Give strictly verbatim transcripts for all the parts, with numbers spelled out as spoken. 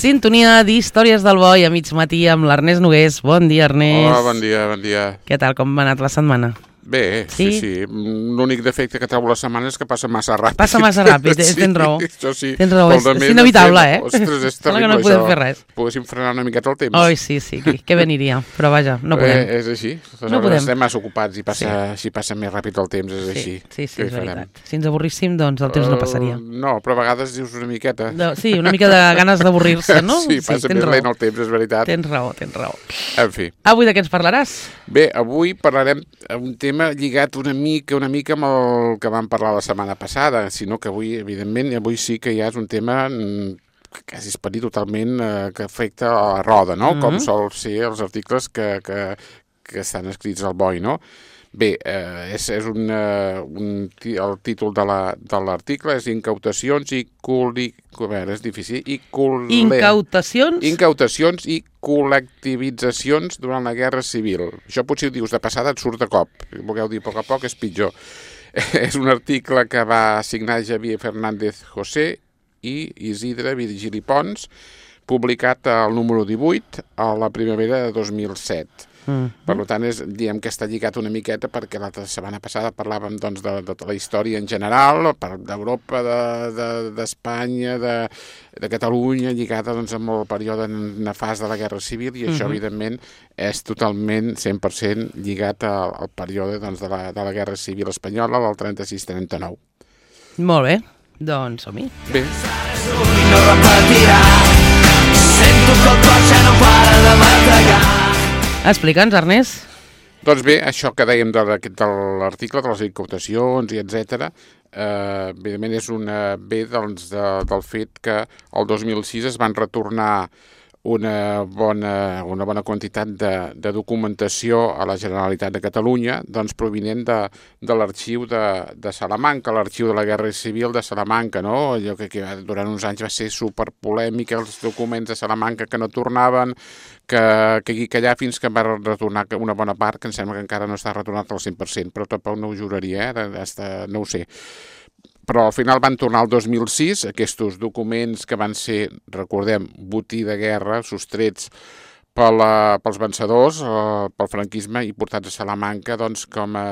Sintonia d'Històries del Boi a mig matí amb l'Ernest Nogués. Bon dia, Ernest. Hola, bon dia, bon dia. Què tal, com ha anat la setmana? Bé, sí, sí. sí. L'únic defecte que trobo la setmana és que passa massa ràpid. Passa massa ràpid, sí, tens raó. Això sí. Tens raó, és, és inevitable, eh? Ostres, és terrible, terrible, no podem això. fer res. Poguéssim frenar una miqueta el temps. Oi, sí, sí, què veniria, però vaja, no podem. Eh, és així. No podem. Estem massa ocupats i passa, sí. si passa més ràpid el temps, és sí, així. Sí, sí, és veritat. Si ens avorríssim, doncs el temps no passaria. Uh, no, però a vegades dius una miqueta. No, sí, una mica de ganes d'avorrir-se, no? Sí, passa sí, més lent el temps, és veritat. Tens raó, tens raó. En fi. Avui de què ens parlaràs? Bé, avui parlarem un tema lligat una mica, una mica amb el que vam parlar la setmana passada, sinó que avui, evidentment, avui sí que ja és un tema que quasi es pot dir totalment eh, que afecta a la roda, no? Mm-hmm. Com sol ser els articles que, que, que estan escrits al Boi, no? Bé, eh, és, és un, uh, un, el títol de l'article és Incautacions i col·li... A veure, és difícil. I col... Incautacions? Incautacions i col·lectivitzacions durant la Guerra Civil. Això potser ho dius de passada, et surt de cop. Si volgueu dir a poc a poc, és pitjor. És un article que va signar Javier Fernández José i Isidre Virgili Pons, publicat al número divuit a la primavera de dos mil set. Mm. Per tant, és, diem que està lligat una miqueta perquè la setmana passada parlàvem doncs, de, de, de la història en general, d'Europa, d'Espanya, de, de, de Catalunya, lligada doncs, amb el període nefast de la Guerra Civil, i això, mm-hmm. evidentment, és totalment cent per cent lligat al, al període doncs, de, la, de la Guerra Civil espanyola del trenta-sis trenta-nou. Molt bé, doncs som-hi. Bé. No repetirà, sento que el cor ja no para de bategar. Explica'ns, Ernest. Doncs bé, això que dèiem de, de l'article, de les incautacions i etcètera, eh, evidentment és una, ve doncs, de, del fet que el dos mil sis es van retornar una bona, una bona quantitat de, de documentació a la Generalitat de Catalunya, doncs provinent de, de l'arxiu de, de Salamanca, l'arxiu de la Guerra Civil de Salamanca, no? Allò que, que durant uns anys va ser superpolèmica, els documents de Salamanca que no tornaven, que, que aquí que allà fins que va retornar una bona part, que em sembla que encara no està retornat al cent per cent, però tampoc no ho juraria, eh? Hasta, no ho sé. Però al final van tornar el dos mil sis, aquests documents que van ser, recordem, botí de guerra, sostrets per la, pels vencedors, eh, pel franquisme, i portats a Salamanca doncs, com a,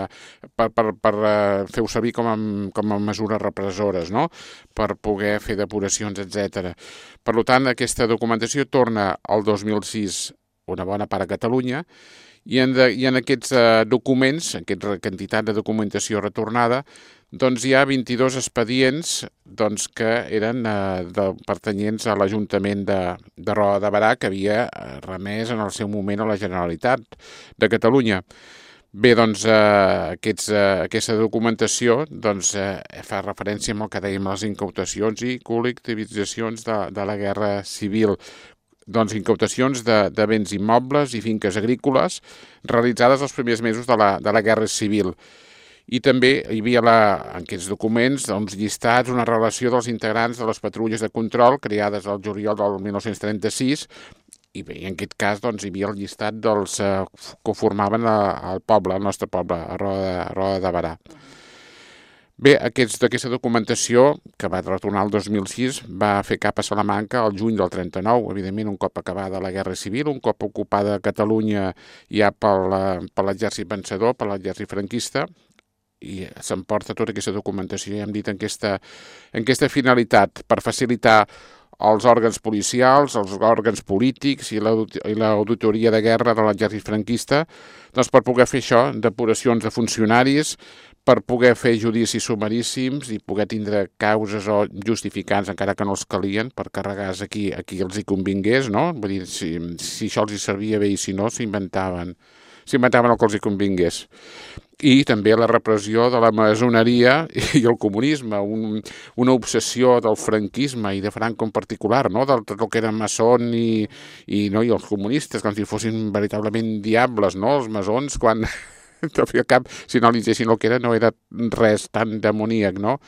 per, per, per uh, fer-ho servir com a, com a mesures repressores, no? Per poder fer depuracions, etcètera. Per tant, aquesta documentació torna al dos mil sis una bona part a Catalunya, i en, de, i en aquests uh, documents, aquesta quantitat de documentació retornada, doncs hi ha vint-i-dos expedients doncs, que eren eh, de, pertanyents a l'Ajuntament de, de Roda de Berà, que havia remès en el seu moment a la Generalitat de Catalunya. Bé, doncs, eh, aquests, eh, aquesta documentació doncs, eh, fa referència amb el que dèiem les incautacions i col·lectivitzacions de, de la Guerra Civil. Doncs incautacions de, de béns immobles i finques agrícoles realitzades els primers mesos de la, de la Guerra Civil. I també hi havia la, en aquests documents uns llistats, una relació dels integrants de les patrulles de control creades al juliol del mil nou-cents trenta-sis, i bé, en aquest cas doncs, hi havia el llistat dels eh, que formaven el poble, el nostre poble, a Roda, a Roda de Berà. Bé, aquests, aquesta documentació, que va retornar el dos mil sis, va fer cap a Salamanca el juny del trenta-nou, evidentment un cop acabada la Guerra Civil, un cop ocupada Catalunya ja per l'exèrcit vencedor, per l'exèrcit franquista, i s'emporta tota aquesta documentació, ja hem dit, en aquesta, en aquesta finalitat, per facilitar els òrgans policials, els òrgans polítics i l'auditoria de guerra de l'exèrcit franquista, doncs per poder fer això, depuracions de funcionaris, per poder fer judicis sumaríssims i poder tindre causes o justificants, encara que no els calien, per carregar-se aquí, aquí els hi convingués, no? Vull dir, si, si això els hi servia bé i si no, s'inventaven s'inventaven el que els hi convingués. I també la repressió de la maçoneria i el comunisme, un, una obsessió del franquisme i de Franco en particular, no? Del tot el que era maçon i, i, no? I els comunistes, com si fossin veritablement diables, no? Els maçons, quan al cap, si analitzessin el que era, no era res tan demoníac, no?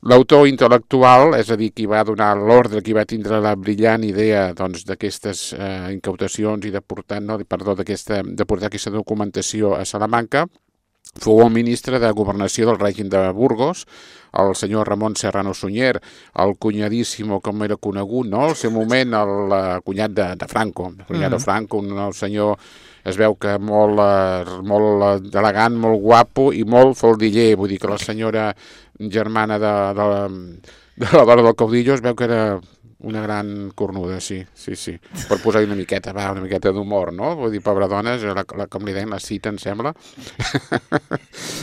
L'autor intel·lectual, és a dir, qui va donar l'ordre, qui va tindre la brillant idea doncs, d'aquestes eh, incautacions i de portar, no, perdó, d'aquesta, de portar aquesta documentació a Salamanca, fou el ministre de Governació del règim de Burgos, el senyor Ramon Serrano Sunyer, el cunyadíssimo, com era conegut, no? Al seu moment, el, el cunyat de, de Franco, el cunyat mm. de Franco, un el senyor, es veu que molt, eh, molt elegant, molt guapo i molt faldiller, vull dir que la senyora germana de, de, de la dona del caudillo es veu que era una gran cornuda, sí, sí, sí. Per posar-hi una miqueta, va, una miqueta d'humor, no? Vull dir, pobra dona, la, la, com li deien, la cita, em sembla.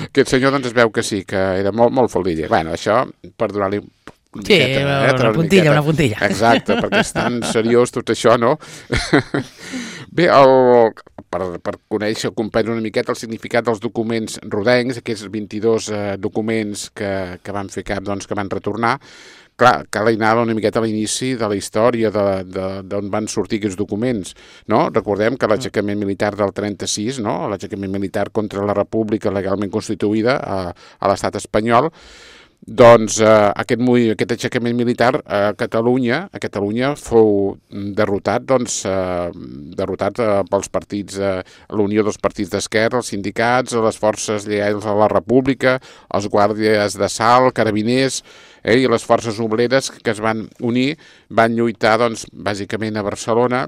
Aquest senyor, doncs, es veu que sí, que era molt, molt faldiller. Bueno, això, per donar-li una sí, miqueta, una, eh? una puntilla, una puntilla. Exacte, perquè és tan seriós tot això, no? Bé, el, per, per conèixer o comprendre una miqueta el significat dels documents rodencs, aquests vint-i-dos eh, documents que, que van fer cap, doncs, que van retornar, clar, cal anar una miqueta a l'inici de la història d'on van sortir aquests documents, no? Recordem que l'aixecament militar del trenta-sis, no? L'aixecament militar contra la república legalment constituïda a, a l'estat espanyol, doncs eh, aquest, aquest aixecament militar a Catalunya, a Catalunya fou derrotat, doncs, eh, derrotat eh, pels partits, eh, la unió dels partits d'esquerra, els sindicats, les forces lleials a la república, els guàrdies d'assalt, carabiners, eh, i les forces obreres que es van unir, van lluitar, doncs, bàsicament a Barcelona,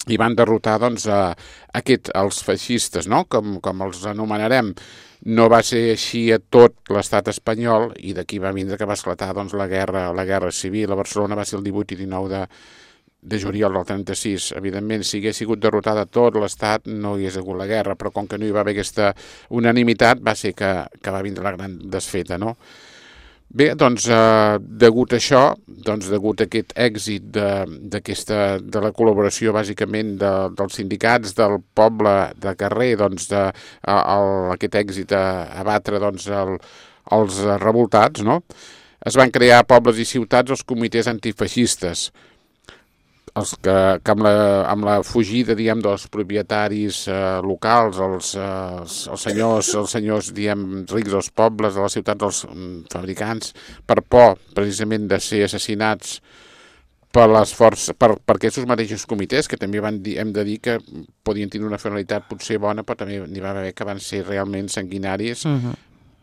i van derrotar, doncs, a, aquest, els feixistes, no? Com, com els anomenarem. No va ser així a tot l'estat espanyol i d'aquí va vindre que va esclatar, doncs, la guerra, la guerra civil. A Barcelona va ser el divuit i dinou de, de juliol del trenta-sis. Evidentment, si hagués sigut derrotada tot l'estat, no hi hagués hagut la guerra, però com que no hi va haver aquesta unanimitat, va ser que, que va vindre la gran desfeta, no? Bé, doncs, eh, degut a això, doncs, degut a aquest èxit d'aquesta, de la col·laboració, bàsicament, de, dels sindicats, del poble de carrer, doncs, de, a, a, aquest èxit a, a batre, doncs, el, els revoltats, no? Es van crear a pobles i ciutats els comitès antifeixistes, els que, que amb, la, amb la fugida, diguem, dels propietaris eh, locals, els, eh, els, els senyors, els senyors, diguem, rics dels pobles, de les ciutats, els mm, fabricants, per por, precisament, de ser assassinats per les forces, per, per aquests mateixos comitès, que també van dir, hem de dir que podien tenir una finalitat potser bona, però també n'hi va haver que van ser realment sanguinaris, uh-huh.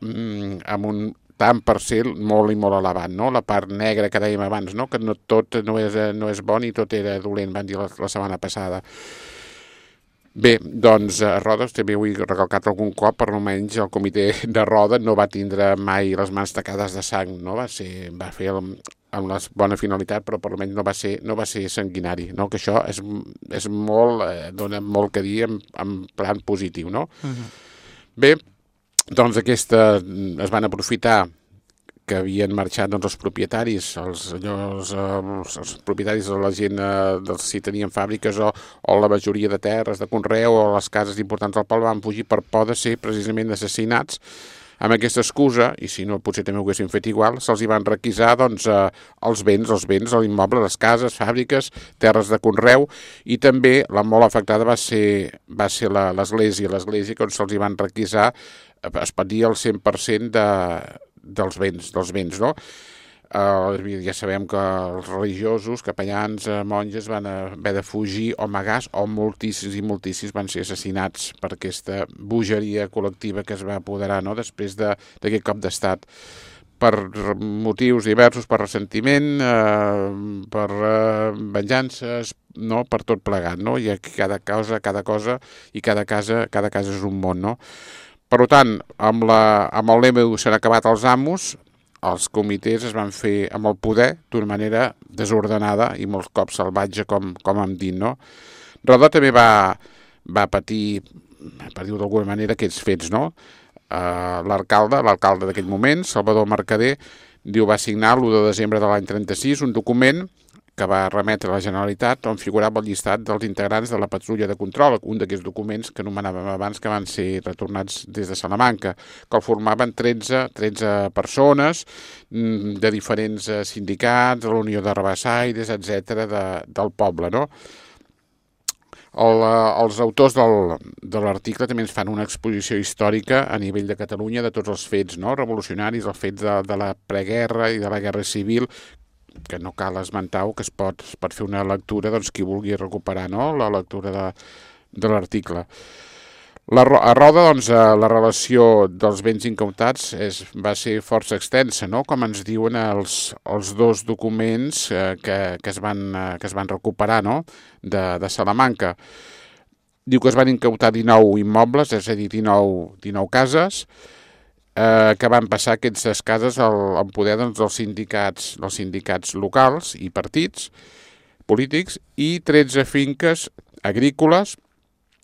mm, amb un tant per ser molt i molt elevat, no? La part negra que dèiem abans, no? Que no tot no és, no és bon i tot era dolent, van dir la, la setmana passada. Bé, doncs a Rodes també ho he recalcat algun cop, però almenys el comitè de Roda no va tindre mai les mans tacades de sang, no? Va ser, va fer el, amb la bona finalitat, però per almenys no va ser, no va ser sanguinari, no? Que això és, és molt, eh, dona molt que dir en, en plan positiu, no? Uh-huh. Bé, doncs aquesta, es van aprofitar que havien marxat, doncs, els propietaris, els, els, els, els propietaris de la gent, eh, si tenien fàbriques o, o la majoria de terres de conreu o les cases importants del poble van fugir per por de ser precisament assassinats. Amb aquesta excusa, i si no potser també ho haguessin fet igual, se'ls hi van requisar, doncs, eh, els béns, els béns, l'immoble, les cases, fàbriques, terres de conreu, i també la molt afectada va ser, va ser l'església, l'església que se'ls hi van requisar, es pot dir el cent per cent de, dels béns, dels béns, no? Uh, ja sabem que els religiosos, capellans, uh, monges van haver de fugir o amagars, o moltíssims i moltíssims van ser assassinats per aquesta bogeria col·lectiva que es va apoderar, no? Després d'aquest cop d'estat, per motius diversos, per ressentiment, uh, per uh, venjances, no? Per tot plegat, no? I cada cosa, cada cosa i cada casa, cada casa és un món, no? Per tant, amb, la, amb el lema s'han acabat els amos, els comitès es van fer amb el poder d'una manera desordenada i molts cops salvatge, com, com hem dit, no? Rodó també va, va patir, per dir-ho d'alguna manera, aquests fets, no? Uh, l'alcalde, l'alcalde d'aquell moment, Salvador Mercader, diu, va signar l'u de desembre de l'any trenta-sis un document que va remetre a la Generalitat on figurava el llistat dels integrants de la patrulla de control, un d'aquests documents que anomenàvem abans que van ser retornats des de Salamanca, que el formaven tretze, tretze persones de diferents sindicats, de la Unió de Rabassaires, etcètera, de, del poble, no? El, els autors del, de l'article també ens fan una exposició històrica a nivell de Catalunya de tots els fets, no? Revolucionaris, els fets de, de la preguerra i de la guerra civil, que no cal esmentar-ho, que es pot, es pot fer una lectura, doncs, qui vulgui recuperar, no?, la lectura de, de l'article. La, a Roda, doncs, la relació dels béns incautats és, va ser força extensa, no? Com ens diuen els, els dos documents eh, que, que, es van, eh, que es van recuperar, no? de, de Salamanca. Diu que es van incautar dinou immobles, és a dir, dinou, dinou cases, eh, que van passar aquestes cases al, al poder doncs, dels, sindicats, dels sindicats locals i partits polítics, i tretze finques agrícoles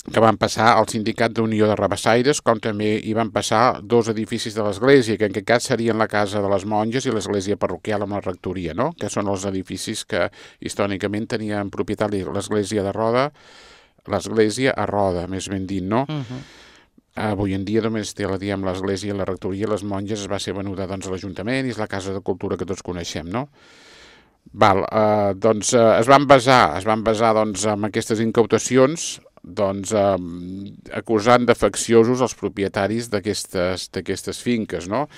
que van passar al Sindicat d'Unió de Rabassaires, com també hi van passar dos edificis de l'església, que en aquest cas serien la Casa de les Monges i l'església parroquial amb la rectoria, no? Que són els edificis que històricament tenien propietat l'església de Roda, l'església a Roda, més ben dit, no? Uh -huh. Avui en dia només té la, diguem, l'església, la rectoria, les monges es va ser venuda doncs, a l'Ajuntament i és la Casa de Cultura que tots coneixem, no? Val, eh, doncs eh, es van basar, es van basar doncs, en aquestes incautacions, doncs, eh, acusant de facciosos els propietaris d'aquestes d'aquestes finques, no?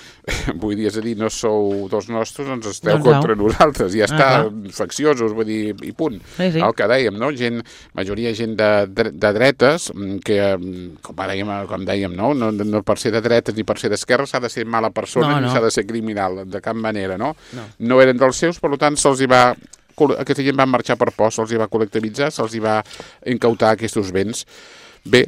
Vull dir, és a dir, no sou dos nostres, ens esteu doncs contra no. nosaltres, ja està, ah, facciosos, vull dir, i punt. Sí, sí. El que dèiem, no? Gent, majoria gent de, de, de dretes, que, com dèiem, com dèiem no? No, no per ser de dretes ni per ser d'esquerra s'ha de ser mala persona no, no. ni s'ha de ser criminal, de cap manera, no? No, no eren dels seus, per tant, se'ls hi va... Aquesta gent van marxar per por, se'ls hi va col·lectivitzar, se'ls hi va incautar aquests béns. Bé,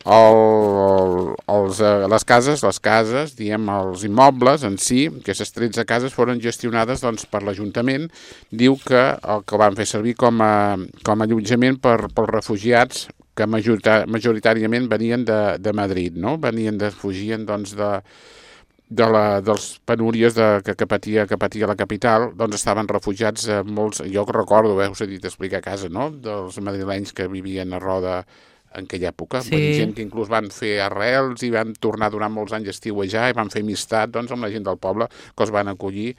el, els, les cases, les cases, diem, els immobles en si, aquestes tretze cases foren gestionades doncs, per l'Ajuntament. Diu que el que van fer servir com a, com a allotjament per, pels refugiats que majoritàriament venien de, de Madrid, no? Venien de, fugien doncs, de... de la, dels penúries de, que, que, patia, que patia la capital, doncs estaven refugiats eh, molts, jo que recordo, eh, us he dit explicar a casa, no?, dels madrilenys que vivien a Roda en aquella època, sí. Gent que inclús van fer arrels i van tornar durant molts anys a estiuejar i van fer amistat doncs, amb la gent del poble, que els van acollir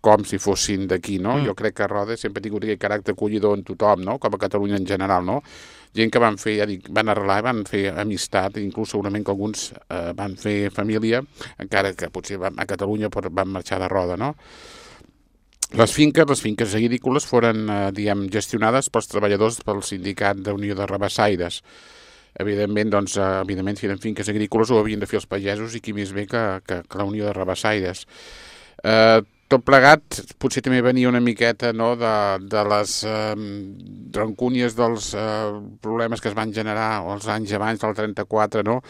com si fossin d'aquí, no? Mm. Jo crec que Roda sempre ha tingut aquest caràcter acollidor en tothom, no?, com a Catalunya en general, no? Gent que van fer, ja dic, van arrelar, van fer amistat, inclús segurament que alguns eh, van fer família, encara que potser van, a Catalunya van marxar de Roda, no? Les finques, les finques agrícoles foren, eh, diguem, gestionades pels treballadors pel Sindicat d'Unió de Rabassaires. Evidentment, doncs, eh, evidentment, si eren finques agrícoles ho havien de fer els pagesos i qui més bé que, que, que la Unió de Rabassaires. Eh, Tot plegat, potser també venia una miqueta no, de, de les eh, rancúnies dels eh, problemes que es van generar els anys abans del trenta-quatre, no?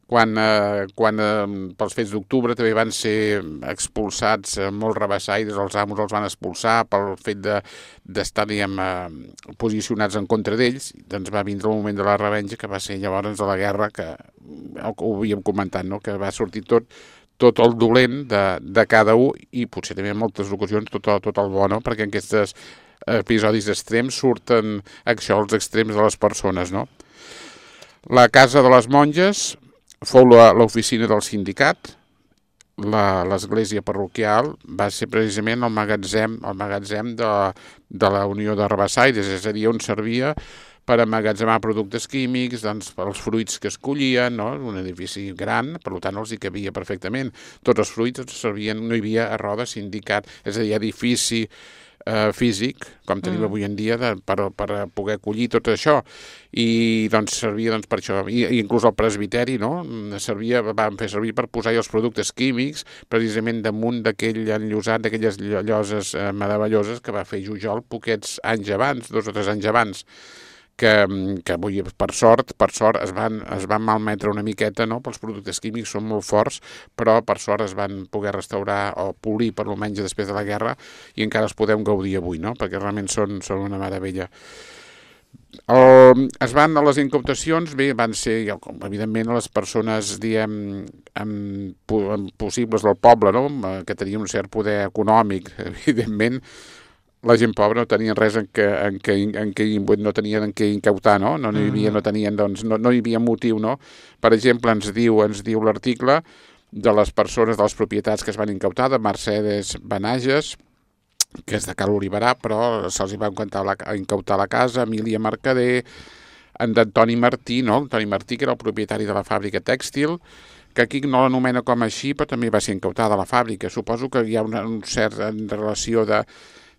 quan, eh, quan eh, pels fets d'octubre també van ser expulsats eh, molts rabassaires, els amos els van expulsar pel fet d'estar de, diguem, eh, posicionats en contra d'ells. Doncs va vindre el moment de la revenja, que va ser llavors de la guerra, que ho havíem comentat, no? Que va sortir tot tot el dolent de, de cada un i potser també en moltes ocasions tot, tot el bo, no? Perquè en aquests episodis extrems surten això, els extrems de les persones, no? La Casa de les Monges fou l'oficina del sindicat, l'església parroquial va ser precisament el magatzem, el magatzem de, de la Unió de Rabassaires, és a dir, on servia per emmagatzemar productes químics, doncs, els fruits que es collien, no? Un edifici gran, per tant els hi cabia perfectament. Tots els fruits els servien, no hi havia a Roda sindicat, és a dir, edifici eh, físic, com tenim mm. avui en dia, de, per, per poder acollir tot això. I doncs servia doncs, per això, I, inclús el presbiteri, no? Servia, van fer servir per posar els productes químics, precisament damunt d'aquell enllosat, d'aquelles lloses eh, meravelloses que va fer Jujol poquets anys abans, dos o tres anys abans. Que, que avui, per sort, per sort es van, es van malmetre una miqueta, no? Pels productes químics són molt forts, però per sort es van poder restaurar o polir per almenys després de la guerra i encara els podem gaudir avui, no? Perquè realment són, són una meravella. El, es van a les incautacions, bé, van ser, evidentment, les persones, diem, amb, amb possibles del poble, no? Que tenien un cert poder econòmic, evidentment. La gent pobra no tenien res en què, en què, en què, no tenien en què incautar, no? No, no, hi havia, no, tenien, doncs, no, no hi havia motiu, no? Per exemple, ens diu, ens diu l'article de les persones, de les propietats que es van incautar, de Mercedes Benages, que és de Cal Oliverà, però se'ls va incautar la, incautar la casa, Emília Mercader, en d'Antoni Martí, no? Antoni Martí, que era el propietari de la fàbrica tèxtil, que aquí no l'anomena com així, però també va ser incautada la fàbrica. Suposo que hi ha una, un cert en relació de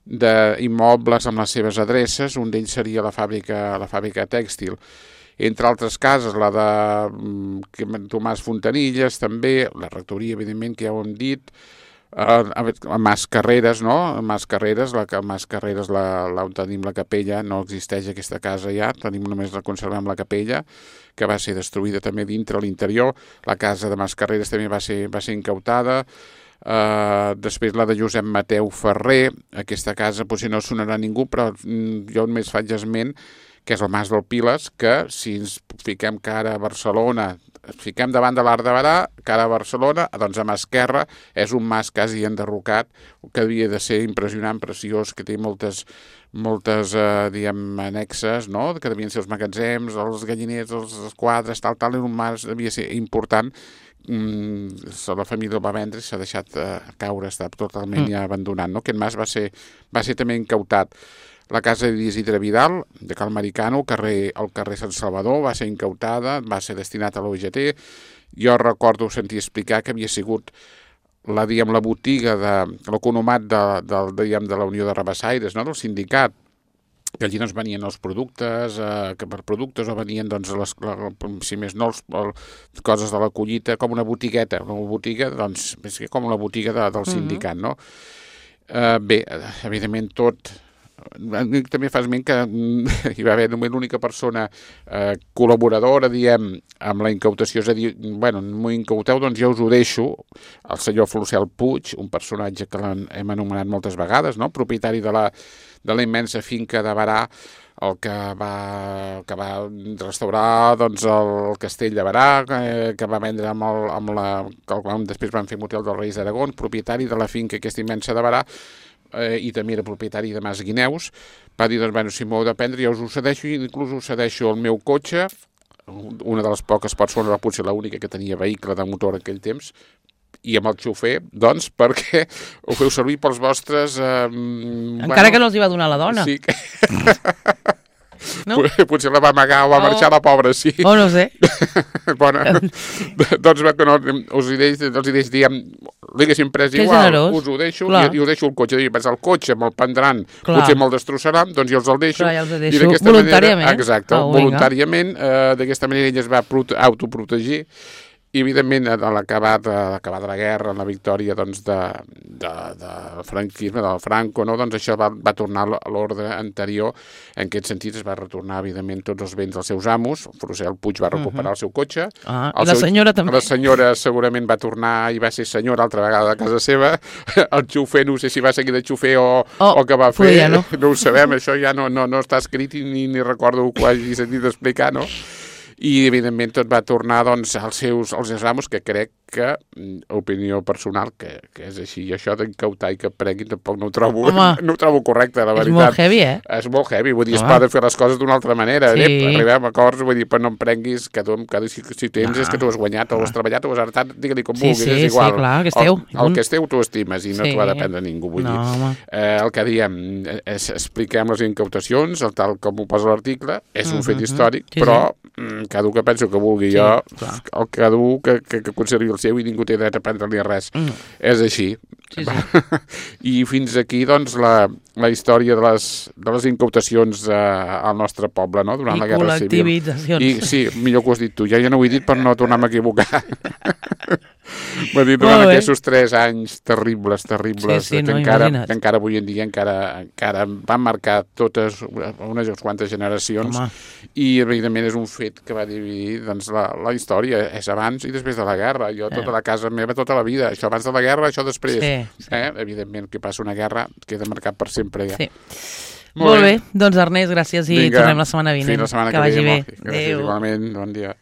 d'immobles amb les seves adreces, un d'ells seria la fàbrica, la fàbrica tèxtil. entre altres cases, la de mm, Tomàs Fontanilles, també, la rectoria, evidentment, que ja ho hem dit, a, a, a Mas Carreres, no? A Mas Carreres, la, a Mas Carreres, la, la, on tenim la capella, no existeix aquesta casa ja, tenim només la conservem la capella, que va ser destruïda també dintre l'interior. La casa de Mas Carreres també va ser, va ser incautada. Uh, després la de Josep Mateu Ferrer, aquesta casa potser no sonarà a ningú, però mm, jo només faig esment, que és el Mas del Piles, que si ens fiquem cara a Barcelona, ens fiquem davant de l'Arc de Berà, cara a Barcelona, doncs a mà esquerra és un mas quasi enderrocat, que havia de ser impressionant, preciós, que té moltes, moltes eh, diguem, annexes, no? Que devien ser els magatzems, els galliners, els, els quadres, tal, tal, era un mas, devia ser important. Mm, la família el va vendre i s'ha deixat eh, caure, està totalment mm. ja abandonat, no? Aquest mas va ser, va ser també incautat. La casa d'Isidre Vidal, de Cal Maricano, al carrer, al carrer Sant Salvador, va ser incautada, va ser destinat a l'O G T. Jo recordo sentir explicar que havia sigut la, diguem, la botiga de l'economat de, de, diguem, de la Unió de Rabassaires, no? Del sindicat, que allí doncs venien els productes, eh, que per productes o venien, doncs, les, la, si més no, els, el, coses de la collita, com una botigueta, una botiga, doncs, és que com la botiga de, del sindicat, no? Eh, bé, evidentment tot... També fa esment que hi va haver només l'única persona eh, col·laboradora, diem, amb la incautació, és a dir, bueno, m'ho incauteu, doncs jo us ho deixo, el senyor Flocel Puig, un personatge que l'hem anomenat moltes vegades, no? Propietari de la, de la immensa finca de Berà, el que va, que va restaurar doncs, el castell de Berà, que, que va vendre amb, el, amb la... que després van fer motel dels Reis d'Aragó, propietari de la finca aquesta immensa de Berà, eh, i també era propietari de Mas Guineus, va dir, doncs, bueno, si m'ho heu de prendre, jo us ho cedeixo, i inclús us cedeixo el meu cotxe, una de les poques persones, potser l'única que tenia vehicle de motor en aquell temps, i amb el xofer, doncs, perquè ho feu servir pels vostres... Eh, Encara bueno, que no els hi va donar la dona. Sí, que... No? Potser la va amagar o va oh. marxar la pobra, sí. Oh, no sé. Bona. Doncs que no, us hi deix, els hi deix, diguem, l'haguéssim pres que igual, generós. Us ho deixo i, i us deixo el cotxe. I el cotxe me'l prendran, clar, potser me'l destrossaran, doncs jo els el deixo. Clar, ja els deixo. I voluntàriament. Manera, exacte, oh, voluntàriament, eh, d'aquesta manera ella es va autoprotegir. I, evidentment, a l'acabat de la guerra, en la victòria doncs, de, de, de franquisme, del Franco, no? Doncs això va, va tornar a l'ordre anterior. En aquest sentit es va retornar, evidentment, tots els béns dels seus amos. Flocel Puig va recuperar uh-huh. el seu cotxe. Ah, I la seu, senyora també. La senyora segurament va tornar i va ser senyora altra vegada a casa seva. El xofer, no sé si va seguir de xofer o, oh, o què va fer. Ja no. No ho sabem, això ja no, no, no està escrit i ni, ni recordo que ho hagi sentit explicar, no? I, evidentment, tot va tornar doncs, als seus als seus amos, que crec que, opinió personal, que, que és així. I això d'incautar i que prenguin tampoc no ho trobo, no ho trobo correcte, la veritat. És molt heavy, eh? És molt heavy, vull dir, es poden fer les coses d'una altra manera. Sí. Eh? Arribem a acords, vull dir, però no em prenguis, que tu, que si, si tens no. és que tu has guanyat, o has treballat, o has heretat, digue-li com sí, vulguis, sí, és igual. Sí, clar, que és teu. El, el que és teu tu estimes i no sí. t'ho ha de prendre ningú, vull no, dir. Eh, el que diem, és, expliquem les incautacions, el tal com ho posa l'article, és un uh-huh. fet històric, sí, però sí. cada un que penso que vulgui, sí, jo, clar. el cada un que, que, que conservi el seu i ningú té dret a prendre-li res. Mm. És així. Sí, sí. I fins aquí, doncs, la, la història de les, de les incautacions eh, al nostre poble, no?, durant I la Guerra Civil. I sí, millor que ho has dit tu. Ja, ja no ho he dit per no tornar-me a equivocar. M'ha dit durant aquests tres anys terribles, terribles, sí, sí, que, no, encara, que encara avui en dia encara, encara van marcar totes unes quantes generacions. Home. I, evidentment, és un fet que va dividir doncs, la, la història. És abans i després de la guerra. Jo, tota eh. la casa meva, tota la vida. Això abans de la guerra, això després. Sí, sí. Eh? Evidentment, que passa una guerra queda marcat per sempre ja. Sí. Molt, Molt bé. bé. Doncs, Ernest, gràcies i Vinga. tornem la setmana vinent. Fins la setmana que, que vagi ve. bé. Gràcies, Adéu. Igualment. Bon dia.